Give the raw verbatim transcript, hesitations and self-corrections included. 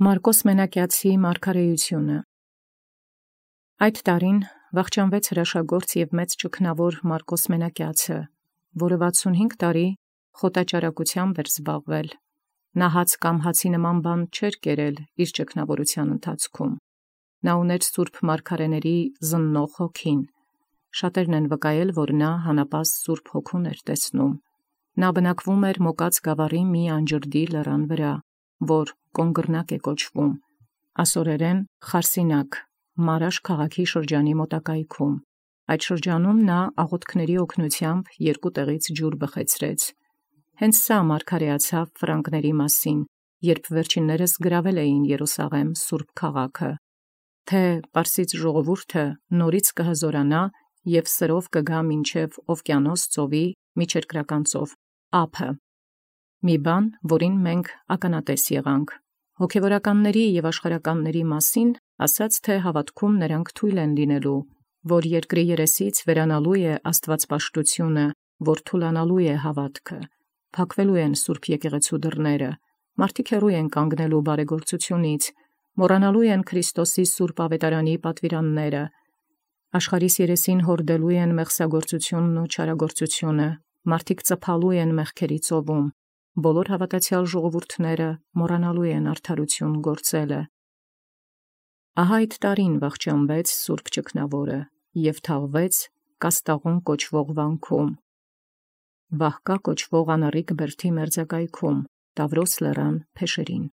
Մարկոս Մենակիացի մարգարեությունը։ Այդ տարին վախճանվեց հրաշագործ և մեծ ճգնավոր Մարկոս Մենակիացը, որը վաթսունհինգ տարի խոտաճարակութեամբ էր զբաղվել. նա հաց կամ հացի նման բան չէր կերել իր ճգնավորութեան ընթացքում։ Նա ուներ սուրբ մարգարեաց զննող հոգին. շատերն են վկայել, որ նա հանապազտ սուրբ հոգուն էր տեսնում։ Նա բնակվում էր Մոկած գաւառի մի անջրդի լերան վրա, որ Կոնգռնակ է կոչվում, ասորերեն Խարսինակ, Մարաշ քաղաքի շրջանի մոտակայքում։ Այդ շրջանում նա աղոթքների օգնութեամբ երկու տեղից ջուր բխեցրեց։ Հենց սա մարգարեացավ Ֆրանկների մասին, երբ վերջիններս գրավել էին Երուսաղեմ սուրբ քաղաքը, թե Պարսից ժողովուրդը նորից կհզորանա և սրով կգա մինչև Օվկիանոս ծովի միջերկրական ծով ափը։ Մի բան, որին մենք ականատես եղանք։ Հոգևորականների և աշխարհականների մասին ասաց, թե հավատքում նրանք թույլ են լինելու, որ երկրի երեսից վերանալու է աստվածպաշտությունը, որ թուլանալու է հավատքը, փակվելու են սուրբ եկեղեցու դռները, մարդիկ հեռու են կանգնելու բարեգործությունից, մոռանալու են Քրիստոսի սուրբ ավետարանի պատվիրանները, աշխարհիս երեսին հորդելու են մեղսագործությունն ու չարագործությունը, մարդիկ ծփալու են մեղքերի ծովում, բոլոր հավատացյալ ժողովուրդները մոռանալու են արդարություն գործելը։ Ահա այդ տարին վախճանվեց սուրբ ճգնավորը և թաղվեց Կաստաղուն կոչվող վանքում, Վահկա կոչվող անառիկ բերդի մերձակայքում, Տավրոս լերան փեշերին։